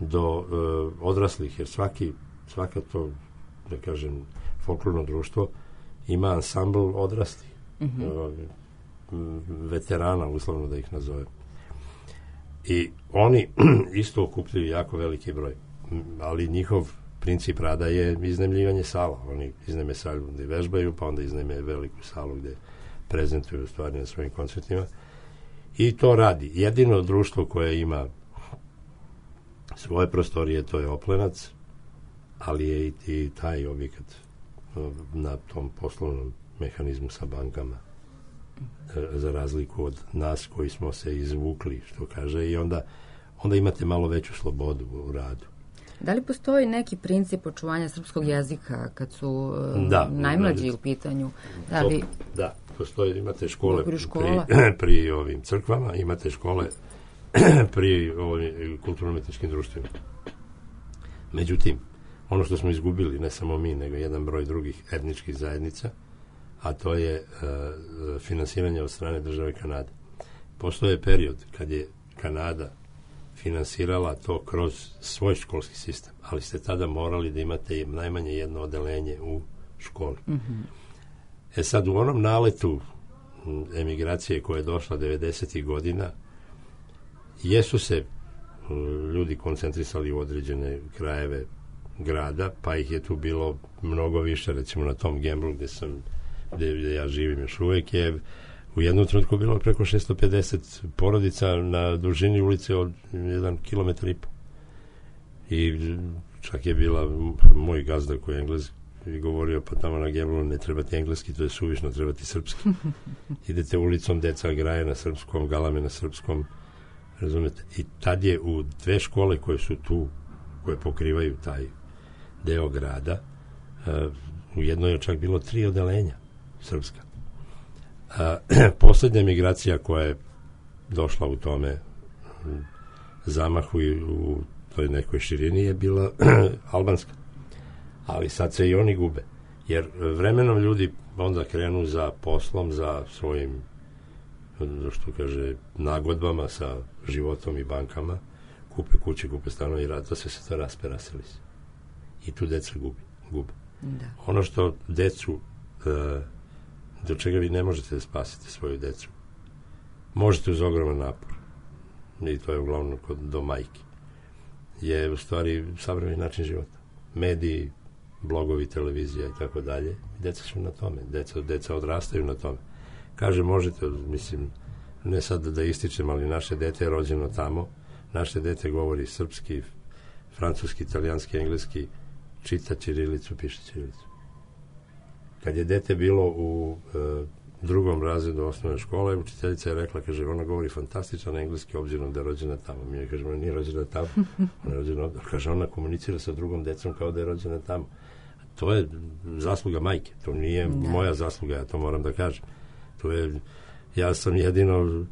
do uh, odraslih, jer svaki, svaka to, da kažem, folklorno društvo ima ansambl odraslih. Mm-hmm. Uh, veterana, uslovno da ih nazovem. I oni isto okupljaju jako veliki broj. Ali njihov princip rada je iznajmljivanje sala. Oni iznajme salu gde vežbaju, pa onda iznajme veliku salu gde prezentuju stvari na svojim koncertima. I to radi. Jedino društvo koje ima svoje prostorije, to je Oplenac, ali je i, i taj objekat na tom poslovnom mehanizmu sa bankama, za razliku od nas koji smo se izvukli, što kaže, i onda, onda imate malo veću slobodu u radu. Da li postoji neki princip očuvanja srpskog jezika kad su da, najmlađi da, u pitanju? Da, to, li... da, postoji, imate škole pri, škola. pri ovim crkvama, imate škole pri ovim kulturno-umetničkim društvima. Međutim, ono što smo izgubili, ne samo mi, nego jedan broj drugih etničkih zajednica, a to je uh, finansiranje od strane države Kanade. Postoje period kad je Kanada finansirala to kroz svoj školski sistem, ali ste tada morali da imate najmanje jedno odeljenje u školi. Mm-hmm. E sad, u onom naletu emigracije koja je došla devedesetih godina, jesu se ljudi koncentrisali u određene krajeve grada, pa ih je tu bilo mnogo više, recimo na tom Gemblu gde sam, gde, gde ja živim još uvek, je u jednom trenutku bilo preko šesto pedeset porodica na dužini ulice od jedan kilometar i po. I čak je bila moj gazda koji je Englez i govorio, pa tamo na Gemblu ne trebati engleski, to je suvišno, trebati srpski. Idete ulicom, deca graje na srpskom, galame na srpskom, razumete? I tad je u dve škole koje su tu, koje pokrivaju taj deo grada, uh, u jednoj je čak bilo tri odelenja srpska. Uh, poslednja migracija koja je došla u tome um, zamahu i u toj nekoj širini je bila albanska. Ali sad se i oni gube. Jer vremenom ljudi onda krenu za poslom, za svojim, što kaže, nagodbama sa životom i bankama, kupe kuće, kupe stanove i rad, to sve se to raspe, raseli se. I tu deca gubi, gube. Da. Ono što decu, uh, do čega vi ne možete da spasite svoju decu, možete uz ogroman napor, i to je uglavnom kod, do majke, je u stvari savremeni način života. Mediji, blogovi, televizija i tako dalje. Deca su na tome. Deca, deca odrastaju na tome. Kaže, možete, mislim, ne sad da ističem, ali naše dete je rođeno tamo. Naše dete govori srpski, francuski, italijanski, engleski, čita ćirilicu, piše ćirilicu. Kad je dete bilo u uh, drugom razredu osnovne škole, učiteljica je rekla, kaže, ona govori fantastičan engleski, obzirom da je rođena tamo. Mi je, kaže, ona nije rođena tamo. Ona je rođena ovdje. Kaže, ona komunicira sa drugom decom kao da je rođena tamo. To je zasluga majke. To nije ne. moja zasluga, ja to moram da kažem. To je, ja sam jedino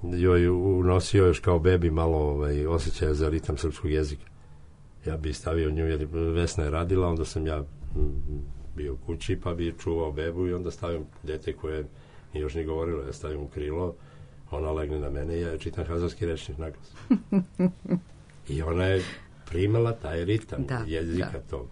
joj unosio još kao bebi malo ovaj, osjećaja za ritam srpskog jezika. Ja bi stavio nju, jer Vesna je radila, onda sam ja bio kući, pa bi čuvao bebu i onda stavim dete koje nije još ni govorilo, ja stavim u krilo, ona legne na mene i ja čitam hazarski rečnik naglas. I ona je primala taj ritam da, jezika da. tog.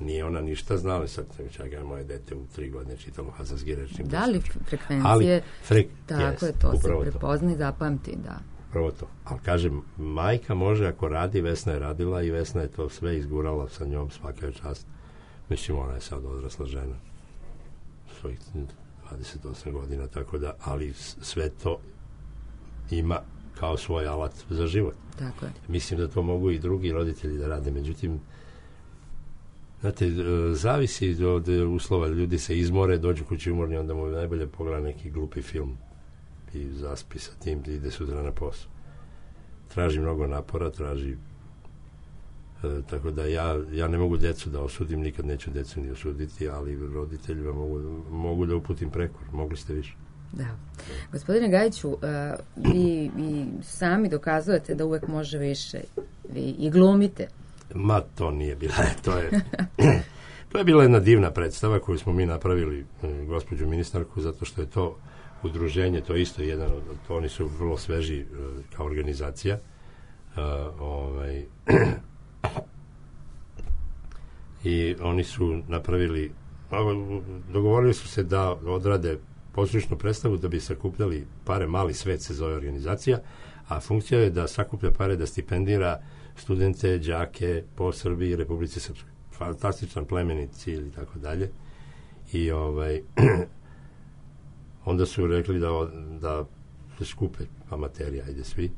Nije ona ništa znala, sad čekaj, moje dete u tri godine čitalo hazarski rečnik. Da li frekvencije, ali, frek, tako jest, je, to se prepozna i zapamti, da. Prvo to. Ali kažem, majka može ako radi, Vesna je radila i Vesna je to sve izgurala sa njom, svaka je čast. Mislim, ona je sad odrasla žena svojih dvadeset osam godina, tako da, ali sve to ima kao svoj alat za život. Tako je. Mislim da to mogu i drugi roditelji da rade, međutim, znate, zavisi od uslova, ljudi se izmore, dođu kući umorni, onda mu najbolje pogleda neki glupi film i zaspi sa tim da ide sutra na posao. Traži mnogo napora, traži e, tako da ja, ja ne mogu djecu da osudim, nikad neću djecu ni osuditi, ali roditeljima mogu, mogu da uputim prekor, mogli ste više. Da. Gospodine Gajiću, uh, vi, vi sami dokazujete da uvek može više. Vi i glumite. Ma, to nije bila, to je to je bila jedna divna predstava koju smo mi napravili, gospođu ministarku, zato što je to udruženje, to je isto jedan od, to oni su vrlo sveži uh, kao organizacija. Uh, ovaj i oni su napravili, dogovorili su se da odrade pozorišnu predstavu da bi sakupljali pare, Mali svet se zove organizacija, a funkcija je da sakuplja pare da stipendira studente, đake po Srbiji i Republici Srpskoj. Fantastičan plemenit cilj i tako dalje. I ovaj onda su rekli da, da se skupe amaterija, ajde svi.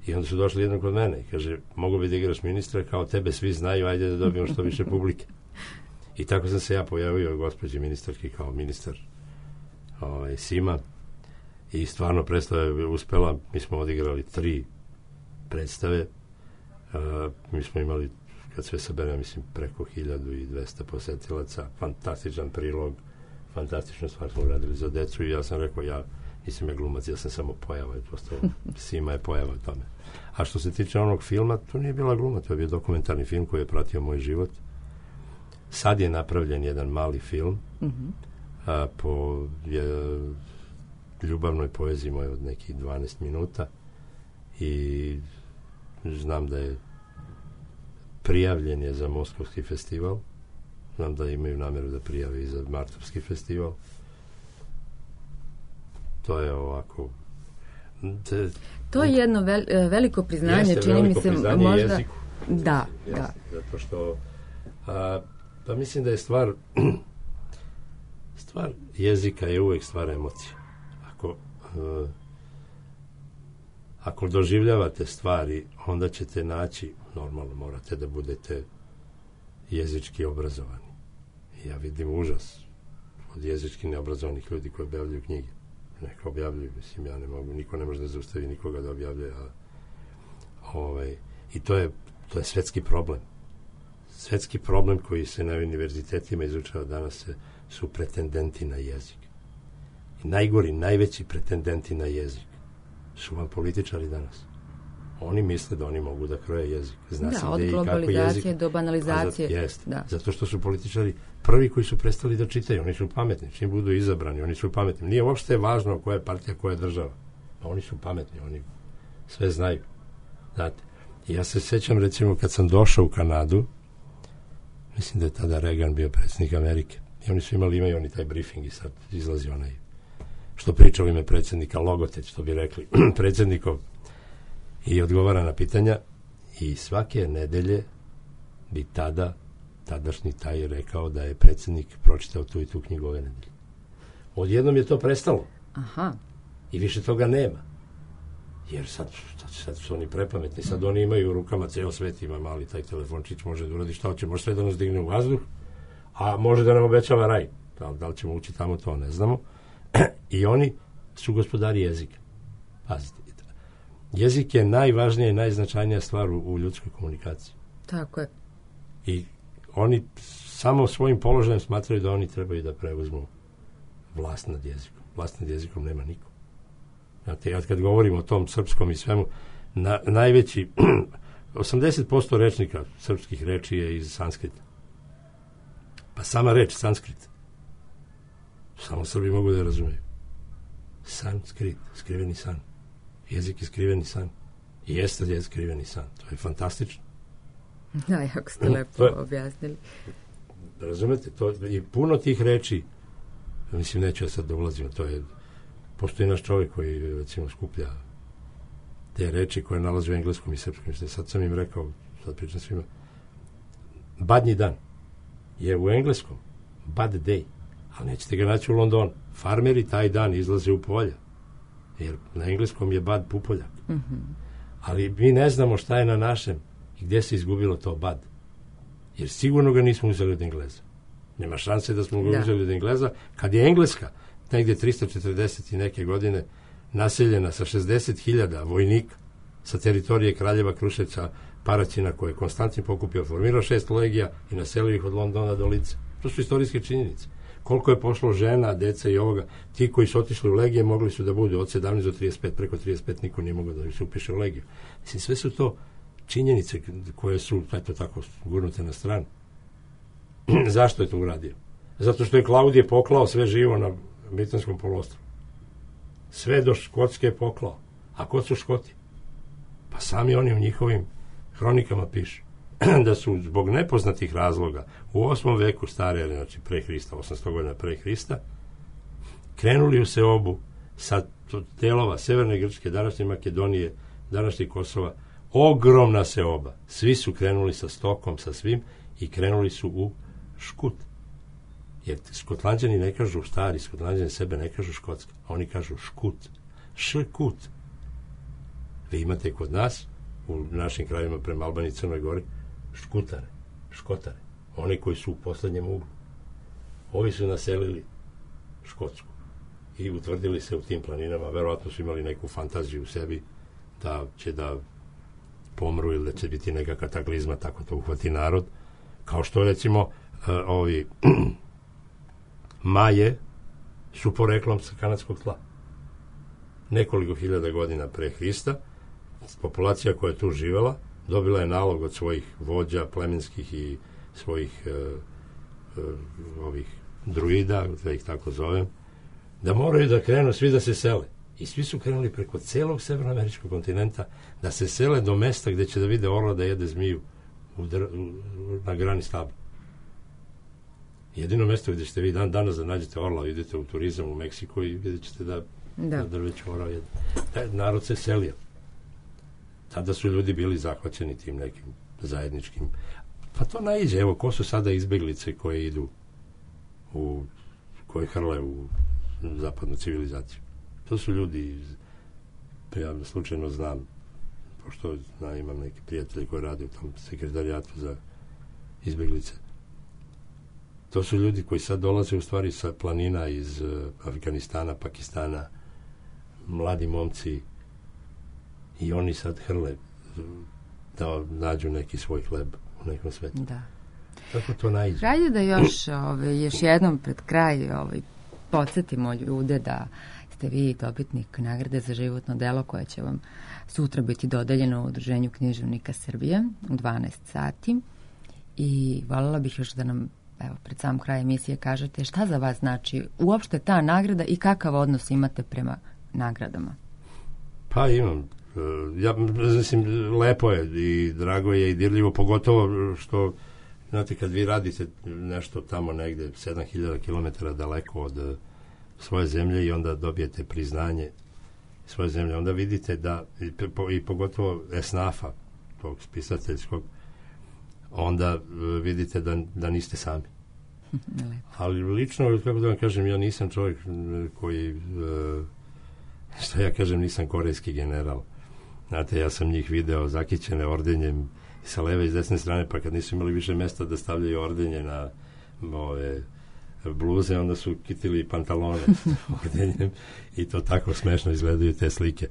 I onda su došli jednom kod mene i kaže, mogu bi da igraš ministra, kao tebe svi znaju, ajde da dobijemo što više publike. I tako sam se ja pojavio gospođi ministarki kao ministar ovaj, Sima i stvarno predstava je uspela. Mi smo odigrali tri predstave. Uh, mi smo imali, kad sve saberem, mislim, preko hiljadu i dvesta posetilaca, fantastičan prilog, fantastičnu stvar smo uradili za decu i ja sam rekao, ja nisam ja glumac, ja sam samo pojava, prosto Sima je pojava u tome. A što se tiče onog filma, to nije bila gluma, to je bio dokumentarni film koji je pratio moj život. Sad je napravljen jedan mali film mm-hmm. a, po je, ljubavnoj poeziji moje od nekih dvanaest minuta i znam da je prijavljen je za Moskovski festival, znam da imaju namjeru da prijave i za Martovski festival. To je ovako te, to je jedno vel, veliko priznanje, jeste, čini veliko mi se priznanje možda jeziku. Da, jeste, da. Zato što a, pa mislim da je stvar stvar jezika je uvijek stvar emocije. Ako a, ako doživljavate stvari, onda ćete naći, normalno morate da budete jezički obrazovani. Ja vidim užas od jezički neobrazovanih ljudi koji objavljuju knjige. Neka objavljuju, mislim, ja ne mogu, niko ne može da zaustavi nikoga da objavljuje, a ovaj, i to je, to je svetski problem. Svetski problem koji se na univerzitetima izučava danas se, su pretendenti na jezik. I najgori, najveći pretendenti na jezik su vam političari danas. Oni misle da oni mogu da kroje jezik. Zna da, se od gde globalizacije do banalizacije. Zato, jest, da. zato što su političari prvi koji su prestali da čitaju. Oni su pametni. Čim budu izabrani, oni su pametni. Nije uopšte važno koja je partija, koja je država. A oni su pametni. Oni sve znaju. Znate. I ja se sjećam, recimo, kad sam došao u Kanadu, mislim da je tada Reagan bio predsjednik Amerike. I oni su imali, imaju oni taj briefing i sad izlazi onaj što priča u ime predsjednika, logoteć, što bi rekli, predsjednikov, i odgovara na pitanja i svake nedelje bi tada tadašnji taj rekao da je predsjednik pročitao tu i tu knjigu ove nedelje. Odjednom je to prestalo. Aha. I više toga nema. Jer sad, sad, sad su oni prepametni, sad oni imaju u rukama, ceo svet ima mali taj telefončić, može da uradi šta hoće, može sve da nas digne u vazduh, a može da nam obećava raj. Da, da li ćemo ući tamo, to ne znamo. I oni su gospodari jezika. Pazite. Jezik je najvažnija i najznačajnija stvar u, u ljudskoj komunikaciji. Tako je. I oni samo svojim položajem smatraju da oni trebaju da preuzmu vlast nad jezikom. Vlast nad jezikom nema niko. Znate, ja kad govorim o tom srpskom i svemu, na, najveći osamdeset posto rečnika srpskih reči je iz sanskrita. Pa sama reč sanskrit samo Srbi mogu da je razumeju. Sanskrit, skriveni san. Jezik je skriveni san. I jeste je skriveni san. To je fantastično. Da, jako ste lepo objasnili. Razumete, to, i puno tih reči, mislim, neću ja sad da ulazim, to je, postoji naš čovjek koji, recimo, skuplja te reči koje nalazi u engleskom i srpskom. Sad sam im rekao, sad pričam svima, badnji dan je u engleskom bad day, ali nećete ga naći u Londonu. Farmeri taj dan izlaze u polja, jer na engleskom je bad pupoljak. Mm-hmm. Ali mi ne znamo šta je na našem i gdje se izgubilo to bad. Jer sigurno ga nismo uzeli od Engleza. Nema šanse da smo ga da. uzeli od Engleza. Kad je Engleska negdje tristo četrdeset i neke godine naseljena sa šezdeset hiljada vojnika sa teritorije Kraljeva, Kruševca, Paraćina, koje je Konstantin pokupio, formirao šest legija i naselio ih od Londona do Lice. To su istorijske činjenice. Koliko je pošlo žena, deca i ovoga, ti koji su otišli u legije mogli su da budu od sedamnaest do trideset pet, preko trideset pet niko nije mogao da se upiše u legiju. Mislim, sve su to činjenice koje su, eto tako, gurnute na stranu. Zašto je to uradio? Zato što je Klaudije poklao sve živo na Britanskom poluostrvu. Sve do Škotske je poklao. A ko su Škoti? Pa sami oni u njihovim hronikama pišu da su zbog nepoznatih razloga u osmom veku stare ere, znači pre Hrista, osamsto godina pre Hrista, krenuli u seobu sa delova Severne Grčke, današnje Makedonije, današnje Kosova, ogromna seoba. Svi su krenuli sa stokom, sa svim i krenuli su u Škut. Jer Skotlanđani ne kažu stari, Skotlanđani sebe ne kažu Škotska, oni kažu Škut. Škut. Vi imate kod nas, u našim krajima prema Albaniji i Crnoj Gori, Škutare, Škotare, oni koji su u poslednjem uglu. Ovi su naselili Škotsku i utvrdili se u tim planinama, verovatno su imali neku fantaziju u sebi da će da pomru ili da će biti neka kataklizma, tako to uhvati narod, kao što recimo uh, ovi Maje su poreklom sa kanadskog tla. Nekoliko hiljada godina pre Hrista populacija koja je tu živela dobila je nalog od svojih vođa plemenskih i svojih uh, uh, ovih druida, da ih tako zovem, da moraju da krenu svi da se sele. I svi su krenuli preko celog severnoameričkog kontinenta da se sele do mesta gde će da vide orla da jede zmiju u dr, u, na grani stabla. Jedino mesto gde ćete vi dan danas da nađete orla, idete u turizam u Meksiku i vidjet ćete da, da. da drveće orla jede. Taj narod se selio. Tada su ljudi bili zahvaćeni tim nekim zajedničkim. Pa to naiđe. Evo, ko su sada izbeglice koje idu u, koje hrle u zapadnu civilizaciju? To su ljudi iz, ja slučajno znam, pošto znam, imam neke prijatelje koji rade u tom sekretarijatu za izbeglice. To su ljudi koji sad dolaze u stvari sa planina iz uh, Afganistana, Pakistana, mladi momci, i oni sad hrle da nađu neki svoj hleb u nekom svetu. Da. Kako to naiđe? Hajde da još, ove, još jednom pred kraj ovaj, podsjetimo ljude da ste vi dobitnik nagrade za životno delo koje će vam sutra biti dodeljeno u Udruženju književnika Srbije u dvanaest sati. I voljela bih još da nam, evo, pred sam kraj emisije kažete šta za vas znači uopšte ta nagrada i kakav odnos imate prema nagradama. Pa imam. Ja mislim, lepo je i drago je i dirljivo, pogotovo što, znate, kad vi radite nešto tamo negde sedam hiljada kilometara daleko od svoje zemlje i onda dobijete priznanje svoje zemlje, onda vidite da, i, i pogotovo esnafa, tog spisateljskog, onda vidite da, da niste sami. Ali lično, kako da vam kažem, ja nisam čovjek koji, što ja kažem, nisam korejski general. Znate, ja sam njih video zakićene ordenjem sa leve i s desne strane, pa kad nisu imali više mesta da stavljaju ordenje na ove bluze, onda su kitili i pantalone ordenjem i to tako smešno izgledaju te slike.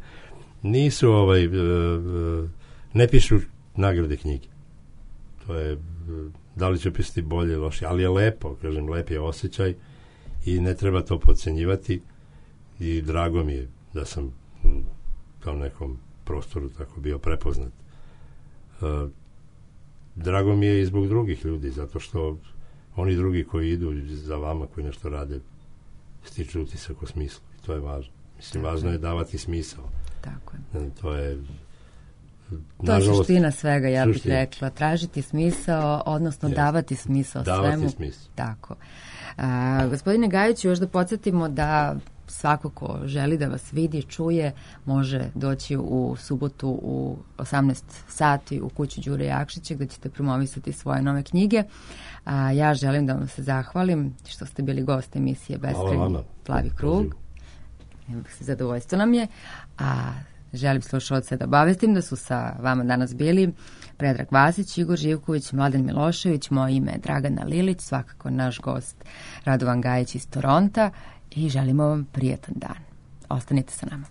Nisu ovaj, ne pišu nagrade knjige. To je, da li će pisati bolje, loše, ali je lepo, kažem, lep je osjećaj i ne treba to podcenjivati i drago mi je da sam u tom nekom prostoru tako bio prepoznat. Uh, drago mi je i zbog drugih ljudi, zato što oni drugi koji idu za vama, koji nešto rade, stiču utisak o smislu i to je važno. Mislim, tako važno je davati smisao. Tako je. To je To je suština svega, ja bih suština. rekla. Tražiti smisao, odnosno yes. davati smisao davati svemu. Smisao. Tako. A, gospodine Gajiću, još da podsjetimo da svako ko želi da vas vidi, čuje, može doći u subotu u osamnaest sati u kuću Đure Jakšića gde ćete promovisati svoje nove knjige. A, ja želim da vam se zahvalim što ste bili gost emisije Beskrajni plavi krug. Zadovoljstvo nam je. A želim slušalce da obavestim da su sa vama danas bili Predrag Vasić, Igor Živković, Mladen Milošević, moje ime je Dragana Lilić, svakako naš gost Radovan Gajić iz Toronta i želimo vam prijatan dan. Ostanite sa nama.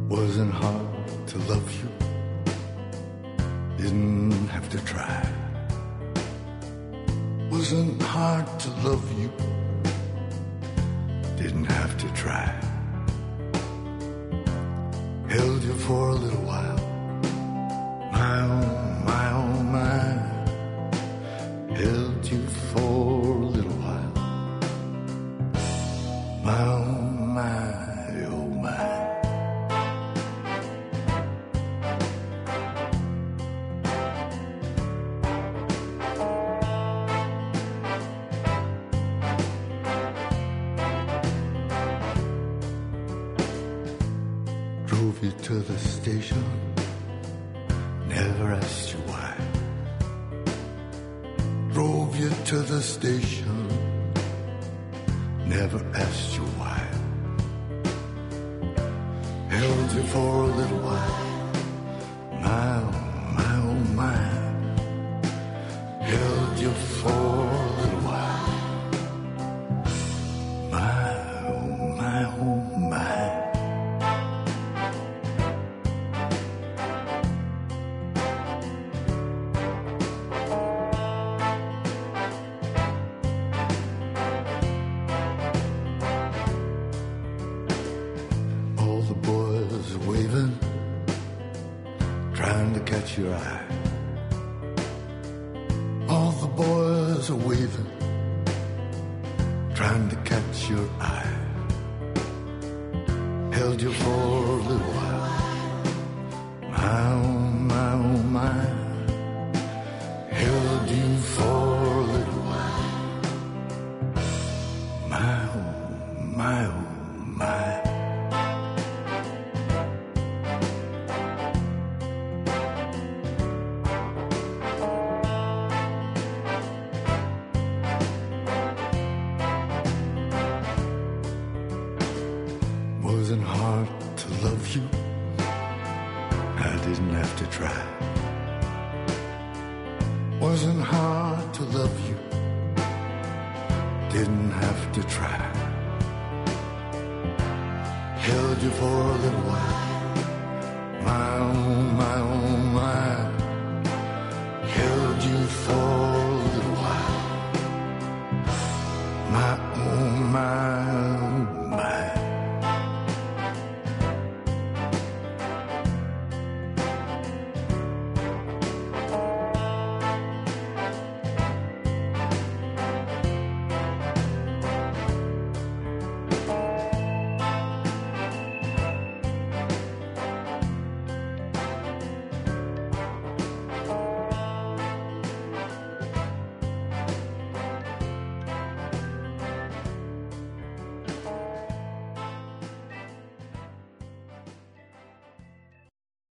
Wasn't hard to love you, didn't have to try. Wasn't hard to love you, didn't have to try. Held you for a little while, my oh, my oh, my. Held you for a little while, my oh, my, oh, my. Drove you to the station, never asked you why. Drove you to the station, never asked you why. Held you for a little while, my oh, my oh, my. Held you for a little while, my oh, my oh, my. Your eye. All the boys are waving, trying to catch your eye. Held you for a little while, my oh, my oh, my. Held you for a little while, my oh, my oh, my. Wasn't hard to love you, I didn't have to try. Wasn't hard to love you, didn't have to try. Held you for a little while,